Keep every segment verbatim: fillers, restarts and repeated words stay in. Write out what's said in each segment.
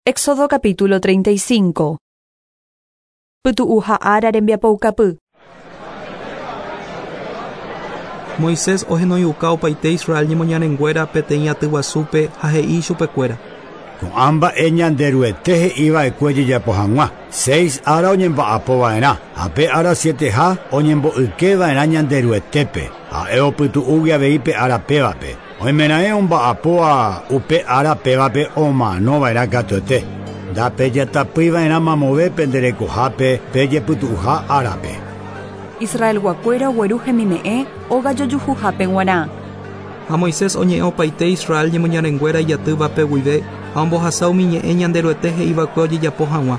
Éxodo capítulo treinta y cinco. Pytu'uha ára rembiapoukapy. Moisés ohenoiuka opaite Israel ñemoñarenguéra peteĩ aty guasúpe ha he'i chupekuéra. Ko'ã mba'e Ñanderuete he'iva'ekue jejapo hag̃ua. Seis ára oñemba'apova'erã ha pe ára sieteha oñembo'ykeva'erã Ñanderuetépe. Ha'e opytu'úgui avei pe ára pévape. Oimeraẽ omba'apóva upe ára pévape omanova'erã katuete. Ndapejatapýiva'erã mamove penderekohápe pejepytu'uha árape. Israelguakuéra ogueru hemime'ẽ óga jojuhuhápe g̃uarã. Ha Moisés oñe'ẽ opaite Israel ñemoñarenguéra ijatývape guive ha ombohasa umi ñe'ẽ Ñanderuete he'iva'ekue ojejapo hag̃ua.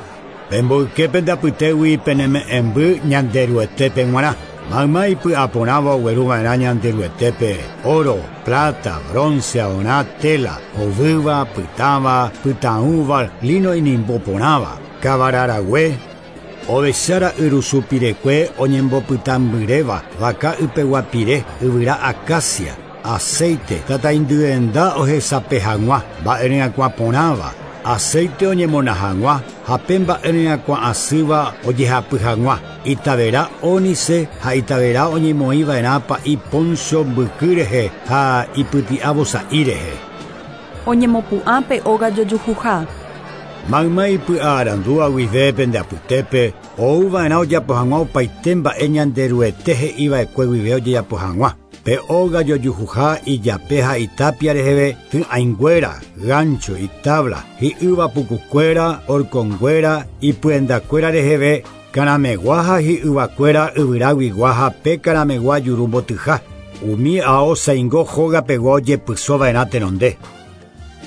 Pemboyke pendapytégui peneme'ẽmby Ñanderuetépe g̃uarã. Mayma ipy'aporãva ogueruva'erã Ñanderuetépe oro, plata, bronce, aorã, tela, hovýva, pytãva, pytãúva, lino inimboporãva, kavararague, ovechára yrusupirekue oñembopytãmbyréva, vaka ypeguapire, yvyra acacia, aceite, tataindyenda ohesape hag̃ua, mba'eryakuãporãva, aceite oñemona hag̃ua ha pe mba'eryakuã asýva ojehapy hag̃ua, itavera ónice ha itavera oñemoĩva'erã pa'i poncho mbyky rehe ha ipyti'a vosa'i rehe. Oñemopu'ã pe óga jojuhuha. Mayma ipy'arandúva guive pendeapytépe ouva'erã ojapo hag̃ua opaite mba'e Ñanderuete he'iva'ekue guive ojejapo hag̃ua. Pe óga jojuhuha ijape ha itapia reheve ty'ãinguéra, gancho, itabla, hi'ýva pukukuéra, horconguéra, ipyendakuéra reheve, karamegua ha hi'yvakuéra yvyraguigua ha pe karamegua juru mbotyha. Umi ao saingo hógapegua ojepysova'erã tenonde.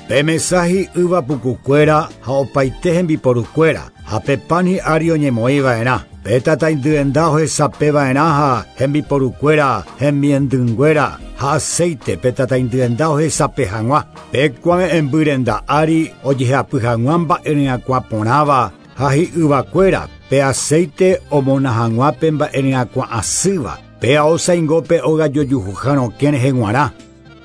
Pe mesa hi'ýva pukukuéra ha opaite hembiporukuéra ha pe pan hi'ári oñemoĩva'erã. Pe tataindyenda ohesapeva'erã ha hembiporukuéra, hemiendynguéra ha aceite pe tataindyenda ohesape hag̃ua. Pe kuave'ẽmbyrenda ári ojehapy hag̃ua mba'eryakuãporãva ha hi'yvakuéra pe aceite omona hag̃ua pe mba'eryakuã asýva. Pe ao saingo pe óga jojuhuha rokẽ rehe g̃uarã.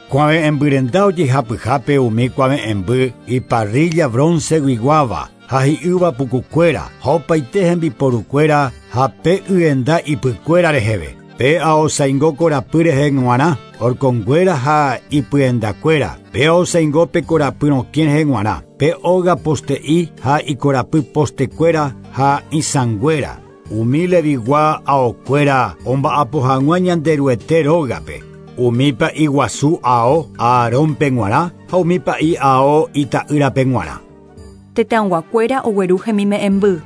Kuave'ẽmbyrenda ojehapyhápe umi kuave'ẽmby iparrilla bronce-guiguáva ha hi'ýva pukukuéra ha opaite hembiporukuéra ha pe yenda ipykuéra reheve. Pe ao saingo korapy rehe g̃uarã, horconguéra ha ipyendakuéra. Pe ao saingo pe korapy rokẽ rehe g̃uarã. Pe óga poste'i ha ikorapy postekuéra ha isãnguéra. Umi levigua aokuéra omba'apo hag̃ua Ñanderuete rógape. Umi pa'i guasu ao Aarónpe g̃uarã ha umi pa'i ao ita'ýrape g̃uarã. Tetãyguakuéra ogueru hemime'ẽmby.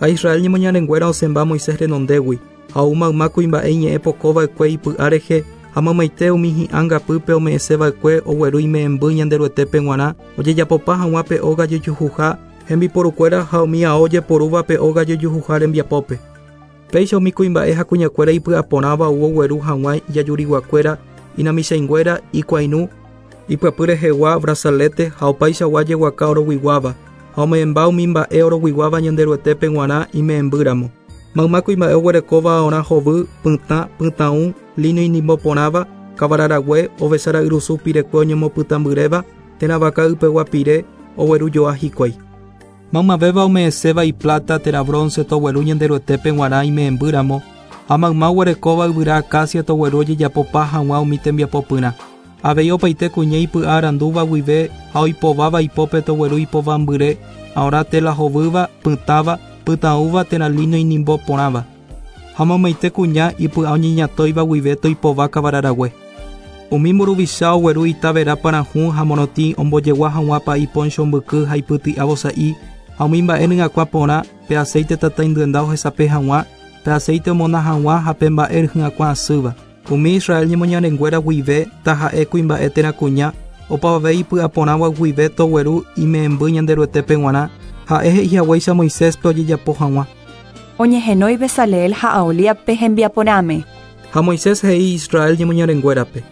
Ha Israel ñemoñarenguéra osẽmba Moisés renondégui ha ou mayma kuimba'e iñe'ẽ pokova'ekue ipy'a rehe ha mamaite umi hi'ángapýpe ome'ẽseva'ekue ogueru ime'ẽmby Ñanderuetépe g̃uarã ojejapopa hag̃ua pe óga jojuhuha hembiporukuéra ha umi ao ojeporúva pe óga jojuhuha rembiapópe. Péicha umi kuimba'e ha kuñakuéra ipy'aporãva ou ogueru hag̃ua ijajuriguakuéra, inamichãinguéra, ikuairũ, ipyapy rehegua, brazalete ha opaichagua jeguaka oroguiguáva ha ome'ẽmba umi mba'e oroguiguáva Ñanderuetépe g̃uarã ime'ẽmbýramo. Mayma kuimba'e oguerekóva aorã hovy, pytã, pytãũ, lino inimboporãva, kavararague, ovechára yrusu pirekue oñemopytãmbyréva, térã vaka ypegua pire oguerujoa hikuái. Maymavéva ome'ẽséva iplata térã bronce togueru Ñanderuetépe g̃uarã ime'ẽmbýramo ha mayma oguerekóva yvyra acacia togueru ojejapopa hag̃ua umi tembiapopyrã. Avei opaite kuña ipy'a arandúva guive ha oipováva ipópe togueru ipovambyre, aorã tela hovýva, pytãva, pytãúva térã lino inimboporãva. Ha mamaite kuña ipy'a oñeñatóiva guive toipova kavararague. Umi mburuvicha ogueru itavera parahũ ha morotĩ ombojegua hag̃ua pa'i poncho mbyky ha ipyti'a vosa'i ha umi mba'e ryakuãporã pe aceite tataindyenda ohesape hag̃ua, pe aceite omona hag̃ua ha pe mba'e ryakuã asýva. Umi Israel ñemoñarenguéra guive taha'e kuimba'e térã kuña opavave ipy'aporãva guive togueru ime'ẽmby Ñanderuetépe g̃uarã ha'e he'ihaguéicha Moiséspe ojejapo hag̃ua. Oñehenói Bezaleel ha Aholiabpe hembiaporãme. Ha Moisés he'i Israel ñemoñarenguérape.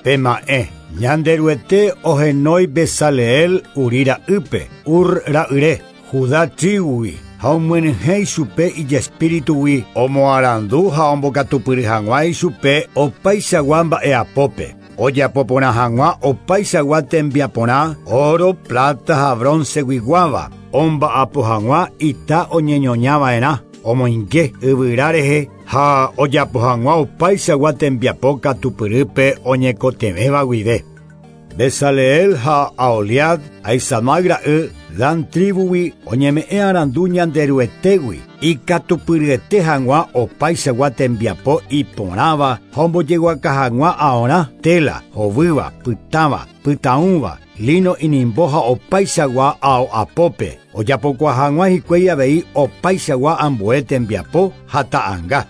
Pema'ẽ Ñanderuete ohenói Bezaleel Uri ra'ýpe, Ur ra'yre, Judá tribugui ha omyenyhẽ ichupe ijespíritugui omoarandu ha ombokatupyry hag̃ua ichupe opaichagua mba'eapópe. Ojapo porã hag̃ua opaichagua tembiaporã, oro, plata ha bronceguiguáva, omba'apo hag̃ua ita oñeñoñava'erã, omoinge yvyra rehe ha ojapo hag̃ua opaichagua tembiapo katupyrýpe oñekotevẽva guive. Bezaleel ha Aholiab, Ahisamai ra'y, Dan tribugui oñeme'ẽ arandu Ñanderuetégui, ikatupyryete hag̃ua opaichagua tembiapo iporãva ha ombojeguaka hag̃ua aorã, tela, hovýva, pytãva, pytãũva, lino inimbo ha opaichagua ao apópe, ojapokuaa hag̃ua hikuái avei opaichagua ambue tembiapo ha ta'ãnga.